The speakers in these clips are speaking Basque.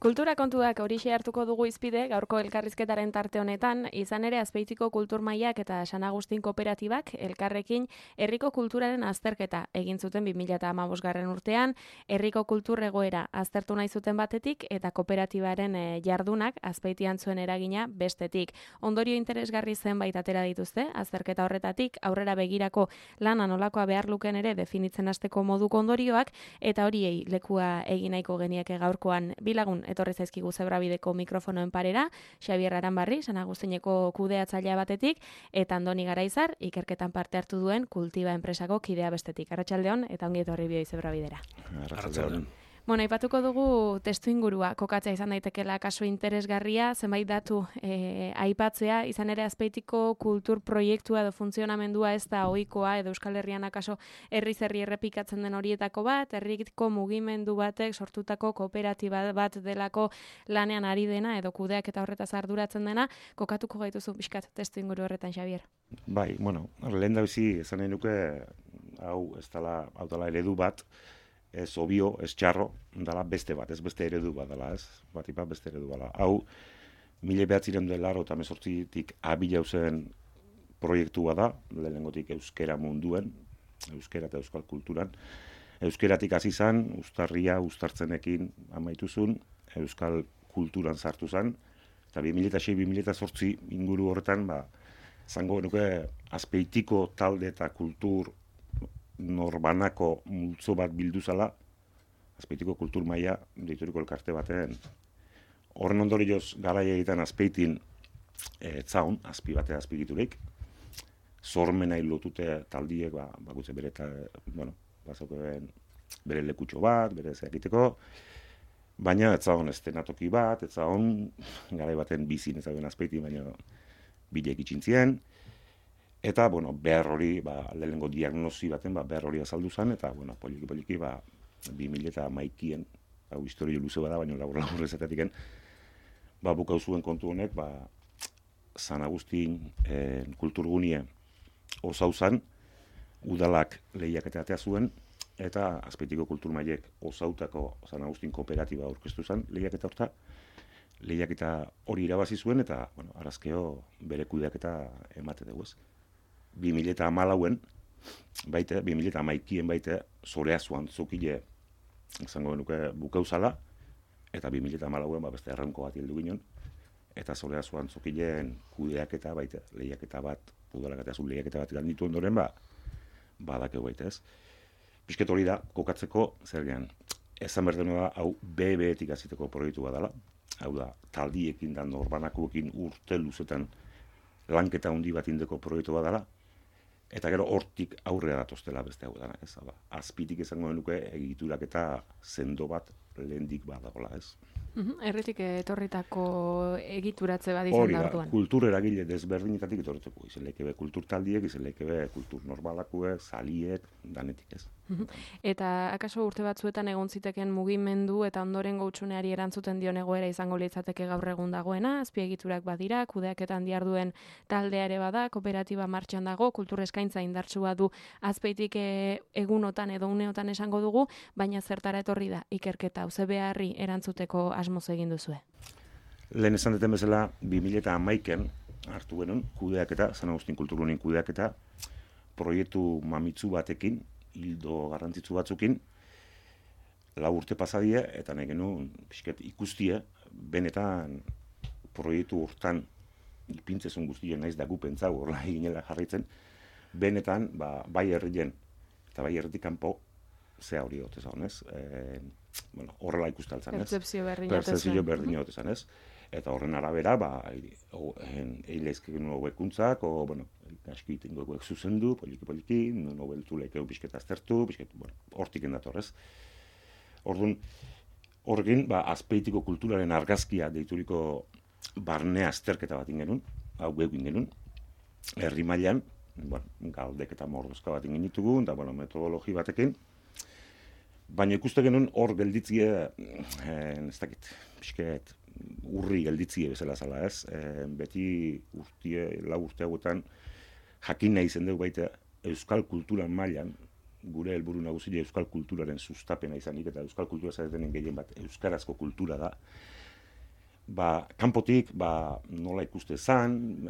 Kultura kontuak horixe hartuko dugu izpide, gaurko elkarrizketaren tarte honetan, izan ere Azpeitiko Kultur Mailak eta San Agustin Kooperatibak elkarrekin herriko kulturaren azterketa egin zuten 2015 urtean, herriko kultur egoera aztertu nahi zuten batetik eta kooperatibaren jardunak Azpeitian zuen eragina bestetik. Ondorio interesgarri zenbait atera dituzte, azterketa horretatik aurrera begirako lana nolakoa behar luken ere definitzen hasteko moduko ondorioak, eta horiei lekua egin nahiko genieke gaurkoan bilagun etorri zaizkigu Zebrabideko mikrofonoen parera, Xabier Aranbarri, San Agustineko kudeatzailea batetik, eta Andoni Garaizar, ikerketan parte hartu duen Kultiba enpresako kidea bestetik. Arratsaldeon eta ongi etorri bioi Zebrabidera. Arratsaldeon. Bueno, aipatuko dugu testu ingurua kokatzea izan daitekeela kasu interesgarria, zenbait datu aipatzea, izan ere Azpeitiko kultur proiektua edo funtzionamendua ez da ohikoa edo Euskal Herrian akaso herriz herri errepikatzen den horietako bat, herriko mugimendu batek sortutako kooperatiba bat delako lanean ari dena edo kudeak eta horretaz arduratzen dena, kokatuko gaituzu pixkat testu inguru horretan, Xabier. Bai, bueno, lehendabizi esan nahi nuke hau ez dela eredu bat, ez obio, ez txarro, dela beste bat, ez beste eredu bat dela, ez? Batipat beste eredu bala. Hau, 1988tik abila zen proiektua da, lehenengotik euskera munduen, euskera eta euskal kulturan. Euskeratik hasi zen, uztartzenekin amaituzun, euskal kulturan sartu zen, eta 2006-2008 inguru horretan, zango genuke Azpeitiko talde eta kultur norbanako multzo bat bildu zala, Azpeitiko Kultur Maila deituriko elkarte baten. Horren ondorioz garai egiten Azpeitin etzaun, azpi batea azpigiturik, sormenai lotute taldiek, bakutze bere, bere lekutxo bat, bere zer egiteko, baina etzaun estenatoki bat, etzaun garai baten bizin ezagun Azpeitin, baina bilek itxintzien, eta, behar hori, lehenengo diagnosi baten, behar hori azaldu zen, eta, poliki, 2011-en, historio luze bada, baina labur ezatetiken, bukau zuen kontu honek, San Agustin kulturgunie osau zen, udalak lehiaketa atea zuen, eta Azpeitiko Kultur Mailek osautako San Agustin Kooperatiba aurkeztu zen lehiaketa horta, lehiaketa hori irabazi zuen, eta, arazkeo bere kudeaketa emate dugu ez. 2014en, 2011en baite, Zoreazuan zokile, izango genuke bukauzala, eta 2014en beste erranko bat hildu ginen, eta Zoreazuan zokileen kudeaketa baite, lehiaketa bat, udalak eta azul lehiaketa bat ganditu ondoren, badakeu baite ez. Pisket hori da, kokatzeko, zer gehan, esan berdenu da, hau BB-etik aziteko proiektu bat dela, hau da, taldiekin da norbanakoekin urte luzetan lanketa handi bat indeko proiektu bat dela, eta gero hortik aurrera datoztela beste hau dana, ez? Azpitik izango genuke egiturak eta sendo bat lehendik badagola, ez? Herritik etorritako egituratze bat izan da orduan. Kultur eragile desberdinetatik etorriteko. Izen lekebe kultur taldiek, izen lekebe kultur normalakuek, zaliek, danetik ez. Eta akaso urte batzuetan egon ziteken mugimendu eta ondorengo hutsuneari erantzuten dion egoera izango litzateke gaur egun dagoena, azpiegiturak badira, kudeaketan diharduen taldea ere bada, kooperatiba martxan dago, kultur eskaintza indartsua du Azpeitik egunotan edo uneotan esango dugu, baina zertara etorri da ikerketa, ze beharri erantzuteko asmoz egin duzue. Lehen esan duten bezala, 2011en hartu genuen kudeaketa, San Agustin Kulturgunien kudeaketa, proiektu mamitzu batekin, hildo garrantzitsu batzukin, 4 urte pasadie, eta nahi genuen pixket ikustie, benetan proiektu hortan ipintzezun guztien naiz da gupentza, horrela eginela jarraitzen, benetan, bai herrien, eta bai herritik kanpo, zea hori hotez honez, horrela ikustaltzen, ez? Pertzepzio berdin hotezan, ez? Eta horren arabera, eileizken hobekuntzak, aski tengoek zuzendu, poliki, nobeltu lekeu pixketa aztertu, hortik endatorrez. Orduan, horrekin, Azpeitiko kulturaren argazkia deituriko barnea azterketa bat ingenun, hau egin genuen, herri mailan, galdek eta mordozka bat ingin ditugu, eta metodologi batekin, baina ikuste genuen hor gelditzie, ez dakit, pixket, urri gelditzie bezala zala ez, beti lau urte hauetan jakin nahi zen dugu baita euskal kulturan mailan gure helburu nagusia euskal kulturaren sustapena izanik, eta euskal kultura zaretenen gehien bat euskarazko kultura da, kanpotik, nola ikuste zan,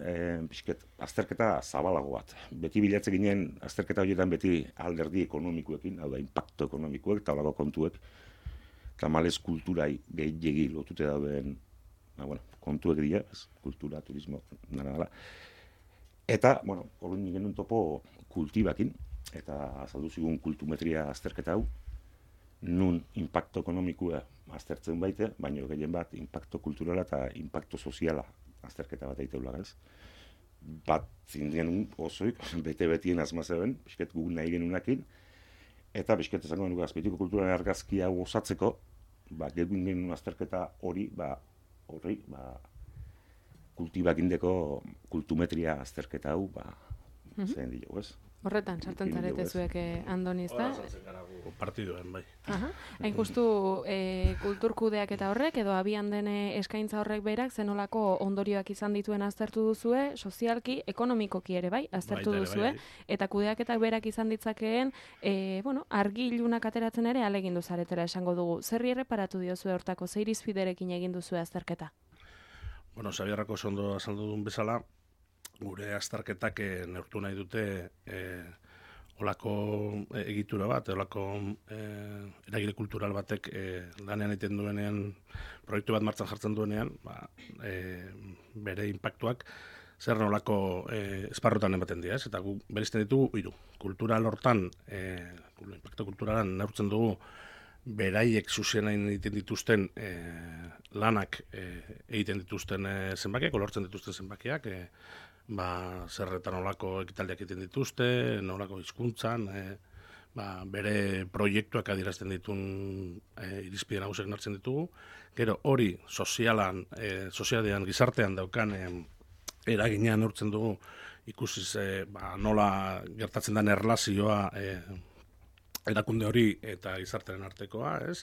pixket, azterketa zabalago bat. Beti bilatze ginen, azterketa horietan beti alderdi ekonomikoekin, hau da, impacto ekonomikoek, eta holako kontuek, eta malez kulturai gehiagi lotute dauden, kontuek dira, kultura, turismo, nara. Eta, horren genuen topo kultibakin, eta azaldu zigun kultumetria azterketa hau, nun impacto ekonomikoa aztertzen baite, baina gehien bat impacto kulturala eta impacto soziala azterketa bat eiteula, ez? Bat zindien osoik, bete-betien azmazeben, bisket gu nahi genunakin, eta bisket esango genuka azpeitiko kulturaren argazki hau osatzeko, genuen genuen azterketa hori, kultibakindeko kultumetria azterketa hau, zein dilo, ez? Horretan, sartzen zarete zuek, Andoni, ezta? Hora sartzen gara partiduen, bai. Hain justu kulturkudeak eta horrek, edo abian den eskaintza horrek berak, zenolako ondorioak izan dituen aztertu duzue, sozialki, ekonomikoki ere, bai, aztertu duzue, eta kudeaketak berak izan ditzakeen, argi ilunak ateratzen ere alegindu zaretela esango dugu. Zerri erreparatu diozue hortako, zer irizpiderekin egin duzue azterketa? Xabierrako ondo azaldu duen bezala, gure azterketak neurtu nahi dute olako egitura bat, olako eragile kultural batek lanean egiten duenean, proiektu bat martxan jartzen duenean, bere inpaktuak zer nolako esparrotan ematen dira, eta gu berizten ditugu hiru. Kultural hortan, inpaktu kulturalan neurtzen dugu beraiek zuzienain egiten dituzten lanak egiten dituzten zenbakiak, lortzen dituzten zenbakiak, zerretan nolako ekitaldiak egiten dituzte, nolako hizkuntzan, bere proiektuak adierazten ditun irizpide nagusiak nartzen ditugu. Gero hori sozialean, gizartean daukan eraginean neurtzen dugu, ikusiz nola gertatzen den erlazioa erakunde hori eta gizartearen artekoa, ez?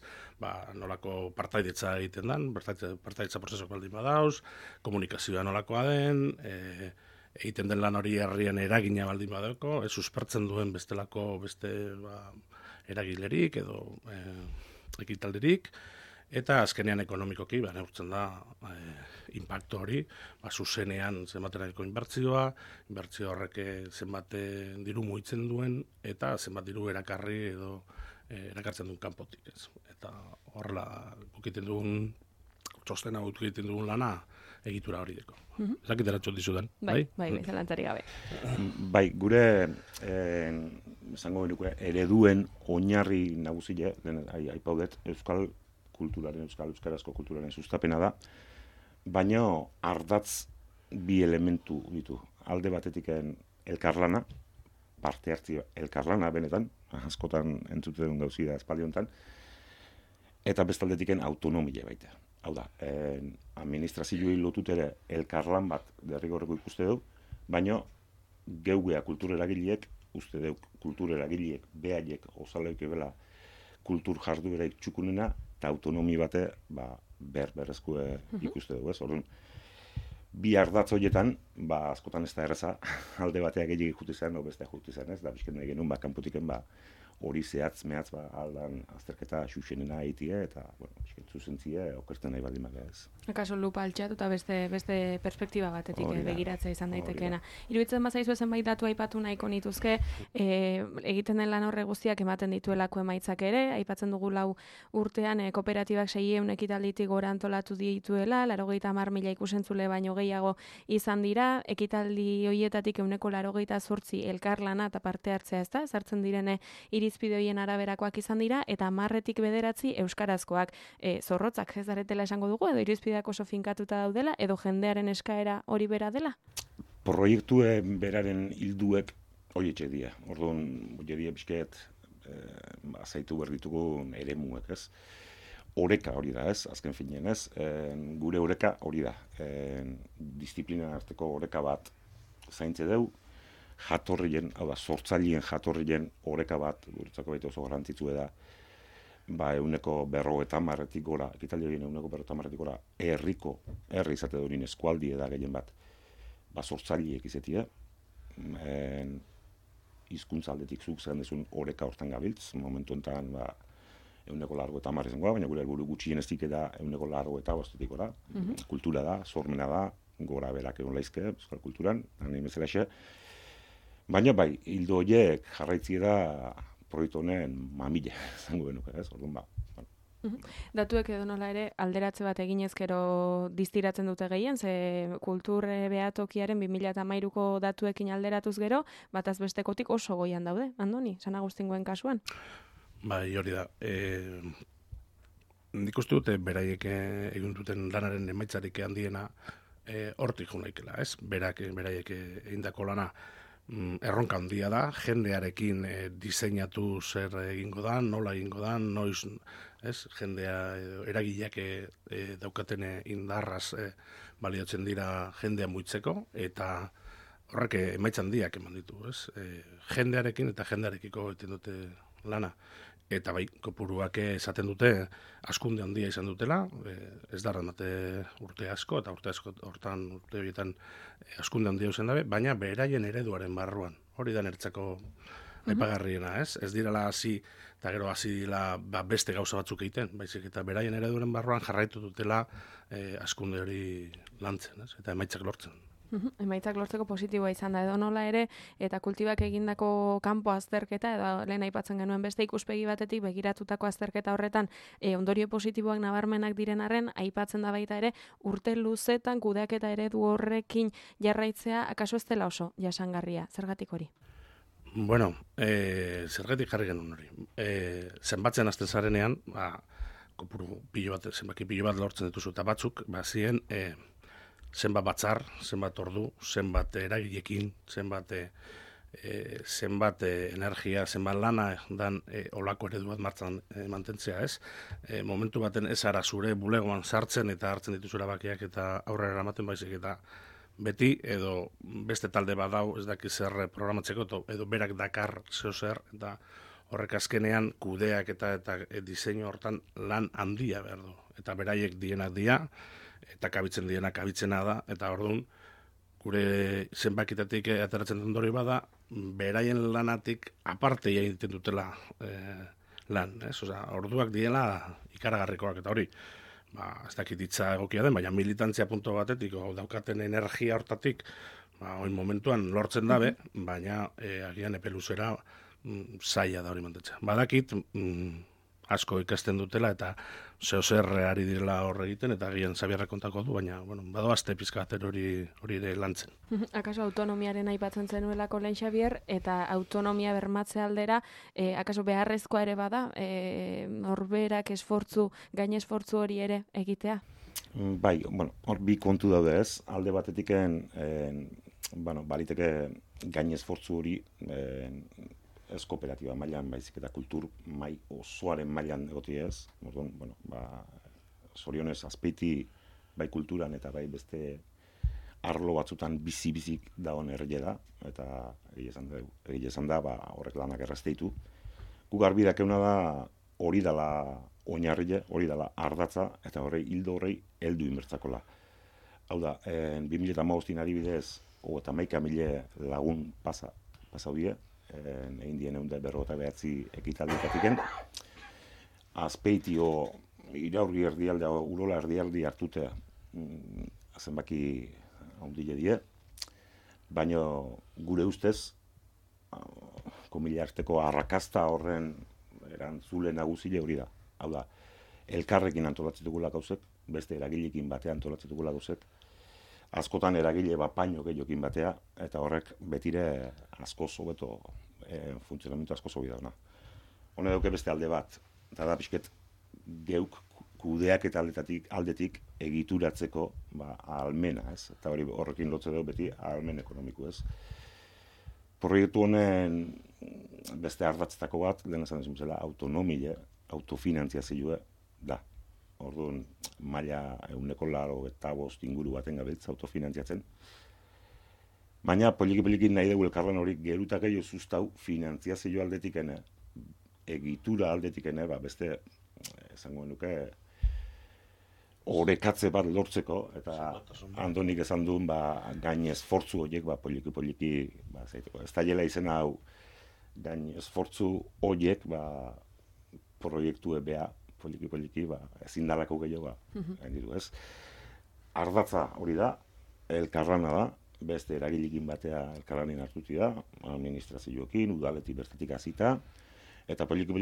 Nolako partaidetza egiten den, partaidetza prozesuak baldin badauz, komunikazioa nolakoa den, egiten den lan hori herrian eragina baldin badauko, suspertzen duen beste eragilerik edo ekitaldirik, eta azkenean ekonomikoki, neurtzen da inpaktu hori, zuzenean zenbaterako inbertzioa horrek zenbat diru mugitzen duen, eta zenbat diru erakarri edo erakartzen duen kanpotik, ez. Eta horrela egiten dugun txostena egiten dugun lana egitura hori deko. Ezakit eratxot dizudan, bai? Bai, zelantzarik gabe. Bai, gure esango genuke ereduen oinarri nagusia, aipaudet, euskal euskarazko kulturaren sustapena da, baina ardatz bi elementu ditu. Alde batetik elkarlana, parte hartzio elkarlana benetan, askotan entzuten gauzi da espaldi honetan, eta bestaldetik autonomia baita. Hau da, administrazioi lotut ere elkarlan bat derrigorreko ikuste dugu, baina geugea kultureragileek, uste dugu kultureragileek, behaiek, osaleuk ebela kultur jardueraik txukunena, eta autonomi bate berrezko ikuste dugu, ez? Orduan, bi ardatz horietan, askotan ez da erreza, alde bateak gehiagik juti zen, o bestea juti zen, ez? Da, bizken nahi genuen, kanpotiken, hori zehatz, mehatz, aldan azterketa xuxenena egitea, eta, zuzentzia, okertzen nahi baldin baga ez. Akaso lupa altxatu eta beste perspektiba batetik begiratzea izan daitekeena. Iruditzen bazaizu zenbait datu aipatu nahiko nituzke, egiten den lan horre guztiak ematen dituelako emaitzak ere, aipatzen dugu 4 urtean kooperatibak 600 ekitalditik gora antolatu dituela, 90.000 ikusentzule baino gehiago izan dira, ekitaldi hoietatik 98% elkarlana eta parte hartzea, ezta? Sartzen direne irizpide horien araberakoak izan dira, eta 10-tik 9 euskarazkoak. Zorrotzak ez daretela esango dugu, edo irizpideak oso finkatuta daudela, edo jendearen eskaera hori bera dela? Proiektu beraren hilduek horietxe dira. Orduan, horietxe bizket, azaitu behar ditugu eremuek, ez? Oreka hori da, ez? Azken finean, ez? Gure oreka hori da. Disiplina arteko oreka bat zaintze dugu, jatorrien, hau da, sortzaileen jatorrien oreka bat, guretzako baita oso garrantzitsua da, 150 gora, ekitaldi horien 150 gora, herri izate durin eskualdi da gehien bat, sortzaileek izatea, hizkuntza aldetik zuk zen dezun oreka hortan gabiltz, momentu enten, 180 izango, baina gure helburu gutxieneztik da 180 gora. Kultura da, sormena da, gora berak egon laizke, euskal kulturan, nahi bezalaxe. Baina bai, hildo horiek jarraitzi da proiektu honen mamile, zango benuke, ez? Orduan Datuek edo nola ere alderatze bat eginez gero distiratzen dute gehien, ze kultur behatokiaren 2013ko datuekin alderatuz gero, bataz bestekotik oso goian daude, Andoni, San Agustingoen kasuan. Bai, hori da. Nik uste dute beraiek egin duten lanaren emaitzarik handiena hortik junaikela, ez? Beraiek egindako lana erronka handia da, jendearekin diseinatu zer egingo da, nola egingo da, noiz, ez? Jendea, eragileak daukaten indarraz baliotzen dira jendea muitzeko, eta horrek emaitza handiak eman ditu, ez? Jendearekin eta jendearekiko egiten dute lana. Eta bai, kopuruak esaten dute askunde handia izan dutela, ez da ramate urte asko, eta urte horietan askunde handia izan dabe, baina beraien ereduaren barruan. Hori da nertzako aipagarriena, ez? Ez direla hasi, eta gero hasi dira beste gauza batzuk egiten, baizik eta beraien ereduaren barruan jarraitu dutela askunde hori lantzen, ez? Eta emaitzak lortzen. Emaitzak lortzeko positiboa izan da, edo nola ere, eta kultibak egindako kanpo azterketa, edo lehen aipatzen genuen beste ikuspegi batetik begiratutako azterketa horretan, ondorio positiboak nabarmenak diren arren, aipatzen da baita ere, urte luzetan kudeaketa eredu horrekin jarraitzea, akaso ez dela oso jasangarria, zergatik hori? Bueno, zergatik jarri genuen hori. Zenbatzen azten zarenean, kopuru zenbaki pilo bat lortzen dituzu, eta batzuk, ziren, zenbat batzar, zenbat ordu, zenbat eragilekin, zenbat energia, zenbat lana dan olako eredu bat martzan mantentzea, ez? Momentu baten ez ara zure bulegoan sartzen eta hartzen dituzu erabakiak eta aurrera eramaten baizik eta beti edo beste talde badau ez daki zer programatzeko edo berak dakar zeo zer eta horrek azkenean kudeak eta diseinu hortan lan handia behar du. Eta beraiek dienak dira, eta kabitzen diena kabitzena da, eta orduan, gure zenbakitatik ateratzen den dori bada, beraien lanatik aparte egiten dutela lan, ez? Osea, orduak diela ikaragarrikoak, eta hori, ez dakit hitza egokia den, baina militantzia punto batetik, daukaten energia hortatik, oin momentuan lortzen dabe, baina agian epe luzera zaila da hori mantetzea. Badakit, asko ikasten dutela eta zer ari direla horre egiten eta agian Xabierra kontako du, baina badoazte pizkater hori ere lantzen. Akaso autonomiaren aipatzen zenuelako lehen Xabier, eta autonomia bermatze aldera, akaso beharrezkoa ere bada, norberak gain esfortzu hori ere egitea? Bai, hor bi kontu daude ez, alde batetiken, baliteke gain esfortzu hori, ez kooperatiba mailan, baizik eta kultur osoaren mailan egoti ez. Orduan, zorionez azpeiti bai kulturan eta bai beste arlo batzutan bizi-bizik dagoen herria da, eta egia esan da, horrek lanak errazteitu. Gu garbi dakeuna da hori dela oinarria, hori dela ardatza, eta hildo horrei heldu inbertzakola. Hau da, 2015 adibidez, 31.000 lagun pasau die, egin dien 159 ekitaldikatiken. Azpeitio iraurgi erdialdea, urola erdialdi hartute zenbaki handile die, baina gure ustez, komila arteko arrakasta horren erantzule nagusile hori da. Hau da, elkarrekin antolatzen dugula gauzek, beste eragilekin batean antolatzen dugula gauzek, askotan eragile bapaino gehiokin batea, eta horrek betire askoz hobeto funtzionamentu askoz hobi dauna. Hone dauke beste alde bat, eta da pixket geuk kudeak eta aldetik egituratzeko ahalmena, ez? Eta horrekin lotze dugu beti ahalmen ekonomiku, ez? Proiektu honen beste ardatzetako bat, lehen esan desun zela, autonomia, autofinantziazioa da. Orduan, maila 185 inguru baten gabiltza autofinantziatzen. Baina, poliki nahi dugu elkarlan hori gerutak gehiago zuztau finantziazio aldetikene, egitura aldetikene, beste, esango nuke, orekatze bat lortzeko, eta Andonik esan duen gain esfortzu horiek poliki, zaiteko. Ez da jela izena hau gain esfortzu horiek, ba, proiektu ebea, poliki, ba, ezin dalako gehiago, gain ditu, ez? Ardatza hori da, elkarlana da, beste eragilikin batea elkarlanin hartuti da, administrazioekin, udaletik bertatik hasita, eta poliki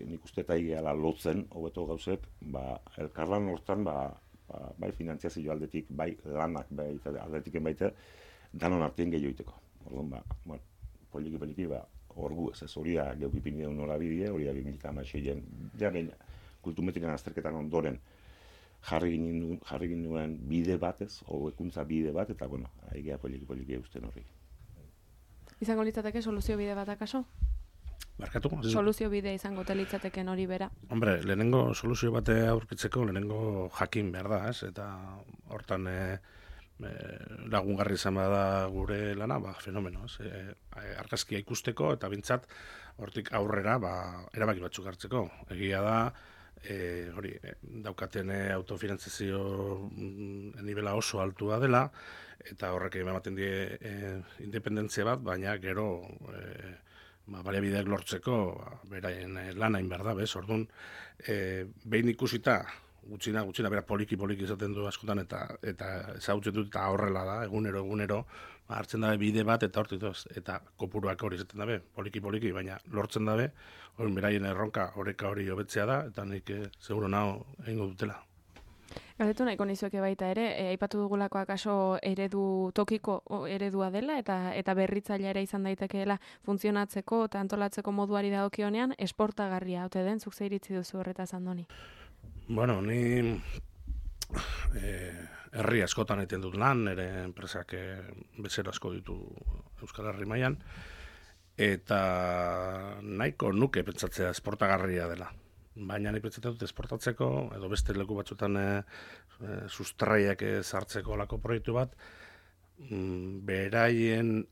nik uste eta igeala lotzen, hobeto gauzek, ba, elkarlan hortan, bai finantziazio aldetik, bai lanak aldetiken baita, danon artean gehiago iteko. Orduan, ba, poliki, ba, orgu ez, hori da geukipin egun nola bidea, hori da 2016-en, ja behin, kultumetrikan azterketan ondoren, jarri ginen bide batez, hobekuntza bide bat, eta, bueno, aigea poliki eusten horri. Izango litzateke soluzio bide bat akaso? Barkatu? Soluzio bide izango litzateken hori bera. Hombre, lehenengo soluzio bate aurkitzeko, lehenengo jakin behar da, ez? Eta hortan lagungarri izan bada gure lana, ba, fenomeno, ez? Argazkia ikusteko, eta bintzat, hortik aurrera, ba, erabaki batzuk hartzeko. Egia da, daukaten autofinantzazio nivela oso altua dela, eta horrek ematen die independentzia bat, baina gero baliabideak lortzeko beraien lanain behar da, bez? Orduan, behin ikusita, gutxina, bera poliki izaten du askotan, eta ezagutzen dut, eta horrela da, egunero, hartzen dabe bide bat, eta hortik eta kopuruak hori izaten dabe, poliki, baina lortzen dabe, hori beraien erronka oreka hori hobetzea da, eta nik seguro naho egingo dutela. Galdetu nahiko nizueke baita ere, aipatu dugulako akaso tokiko eredua dela, eta berritzailea ere izan daitekeela funtzionatzeko eta antolatzeko moduari dagokionean, esportagarria ote den, zuk ze iritzi duzu horretaz Andoni? Bueno, ni herri askotan egiten dut lan, nire enpresak bezero asko ditu Euskal Herri mailan, eta nahiko nuke pentsatzea esportagarria dela. Baina ni pentsatzen dut esportatzeko, edo beste leku batzutan sustraiak sartzeko olako proiektu bat, beraien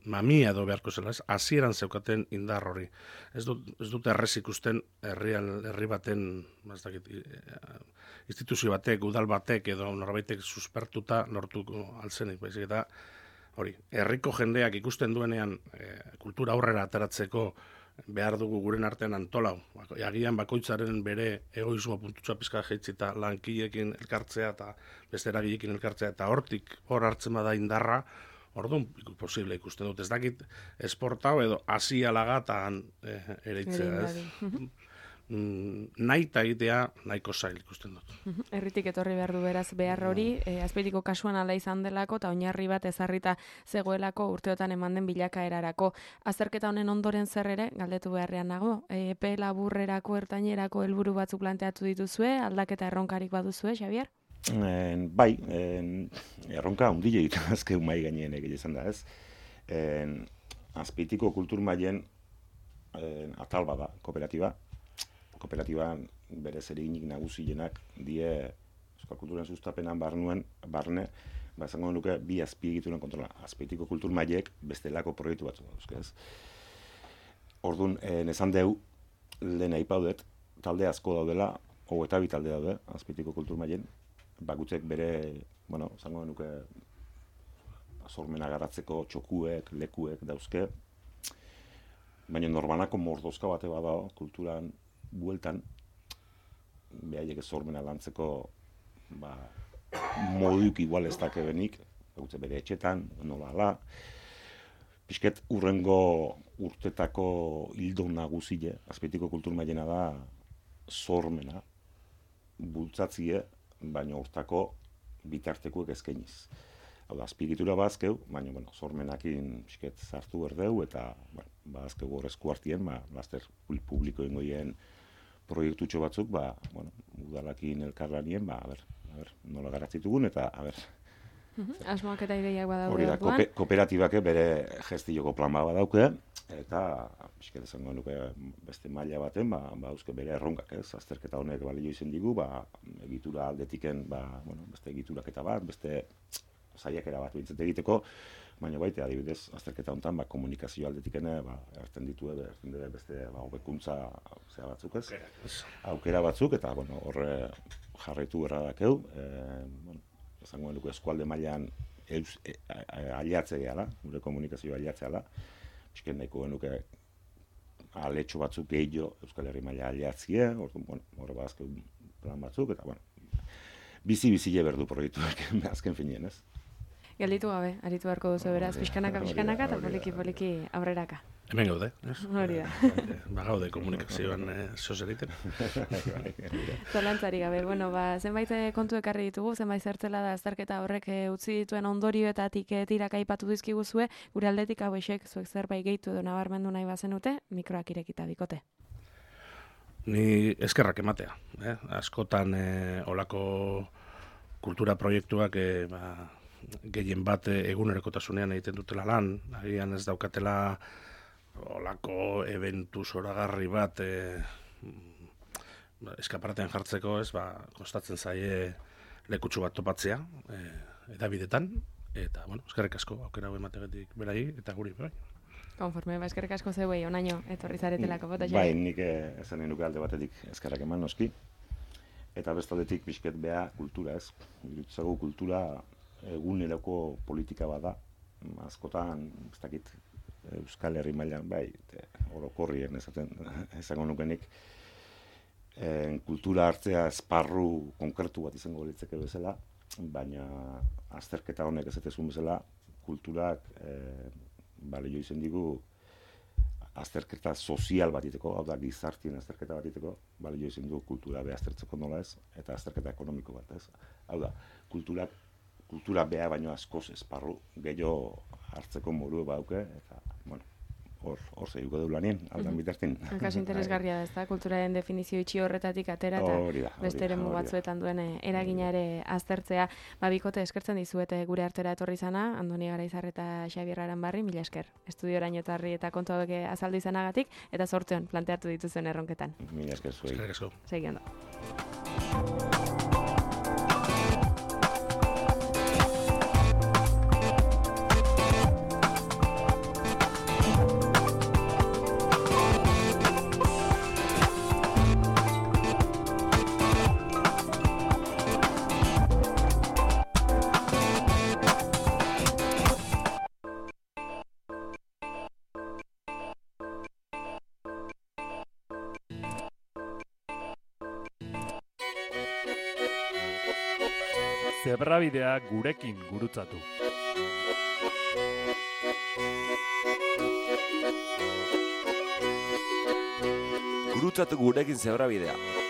mamia edo beharko zela, ez? Hasieran zeukaten indar hori. Ez dute errez ikusten herri baten, instituzio batek, udal batek edo norbaitek suspertuta lortuko altzenik, baizik eta hori, herriko jendeak ikusten duenean kultura aurrera ateratzeko behar dugu guren artean antolau. Agian bakoitzaren bere egoismo puntutxoa pizka jaitzita lankileekin elkartzea eta beste eragileekin elkartzea eta hortik hor hartzen bada indarra, orduan posible ikusten dut. Ez dakit esportau edo asia lagatan ereitzea, ez? Nahi eta egitea nahiko zail ikusten dut. Herritik etorri behar du beraz behar hori, Azpeitiko kasuan ala izan delako eta oinarri bat ezarrita zegoelako urteotan eman den bilakaerarako. Azterketa honen ondoren zer ere, galdetu beharrean nago, epe laburrerako, ertainerako helburu batzuk planteatu dituzue, aldaketa erronkarik baduzue, Xabier? Bai, erronka hundile egiten azkeu mai gaineen egile izan da, ez? Azpeitiko kultur mailen atal bada, kooperatiban bere zeriginik nagusienak die Euskal Kulturan sustapenan barne, izango nuke bi azpiegituren kontrola. Azpeitiko kultur mailek bestelako proiektu batzu dauzke, ez? Orduan, esan deu, lehen aipaudet, talde asko daudela, eta bi talde daude, Azpeitiko kultur mailen, bakutzek bere, izango nuke sormena garatzeko txokuek, lekuek dauzke, baina norbanako mordozka bate bada kulturan bueltan, behaiek sormena lantzeko moduk igual ez dake benik, bere etxetan, nola ala, pixket urrengo urtetako hildo nagusile, Azpeitiko kultur mailena da sormena, bultzatzie, baina hortako bitartekuek eskainiz. Hau da, azpigitura bazkeu, baina, sormenakin pixket zartu berdeu, eta bazkeu horrezko hartien, laster publiko ingoien proiektutxo batzuk, udalakin elkarlanien, nola garatzitugun, eta, Asmoak eta ideiak badaude. Hori da, kooperatibak bere gestioko plan bat badauke, eta, pixket esango nuke beste maila baten, euske bere erronkak, ez? Azterketa honek balio izen digu, egitura aldetiken, beste egituraketa bat, beste saiakera bat bintzat egiteko, baina baita, adibidez, azterketa honetan, komunikazio aldetikene, erten dute beste hobekuntza batzuk, ez? Aukera batzuk, eta, horre jarraitu erra dakeu, esango nuke eskualde mailan aliatzea gehala, gure komunikazioa aliatzea da. Bizken nahiko genuke aletxo batzuk gehiago Euskal Herri maila aliatzie, hor bazken plan batzuk, eta bizi-bizile berdu proiektuak azken finien, ez? Gelditu gabe, aritu beharko duzu beraz, pixkanaka, eta poliki aurreraka. Hemen gaude, ez? Hori da. Gaude komunikazioan zoz egiten. Zalantzari gabe, zenbait kontu ekarri ditugu, zenbait zertzela da azterketa horrek utzi dituen ondorioetatik tiraka aipatu dizkiguzue, gure aldetik hauexek zuek zerbait gehitu edo nabarmendu nahi bazenute, mikroak irekita bikote. Ni eskerrak ematea, askotan olako kultura proiektuak gehien bat egunerokotasunean egiten dutela lan, agian ez daukatela olako eventu zoragarri bat eskaparatean jartzeko, kostatzen zaie lekutsu bat topatzea edabidetan, eta, eskerrik asko aukera hau emategetik berai, eta guri bai. Konforme, eskerrik asko zeuei, onaino, etorri zaretelako bota Bai, nik esanen nuke alde batetik eskerrak eman noski, eta bestaldetik bizket beha kultura, ez? Irutzago kultura eguneroko politika bada, askotan, ez dakit, Euskal Herri mailan, bai, orokorrien esango nukenik, kultura hartzea esparru konkretu bat izango litzeke bezala, baina azterketa honek ezetezun bezala, kulturak balio izen digu azterketa sozial bat iteko, hau da gizartien azterketa bat iteko, balio izen du kultura beha aztertzeko nola ez, eta azterketa ekonomiko bat ez. Hau da, kultura beha baino askoz esparru gehiago hartzeko modu bauke, eta, hor zehuko du lanien, aldan bitartin. Kaso interesgarria da, ez da, kulturaren definizio itxi horretatik atera, eta beste eremu batzuetan duen eragina ere aztertzea. Bikote, eskertzen dizuete gure artera etorri izana, Andoni Garaizar eta Xabier Aranbarri, mila esker. Estudioraino etorri eta kontu hauek azaldu izanagatik, eta zorteon planteatu dituzuen erronketan. Mila esker zuei. Eskerrik asko. Segi ondo. Zebrabidea gurekin gurutzatu. Gurutzatu gurekin Zebrabidea.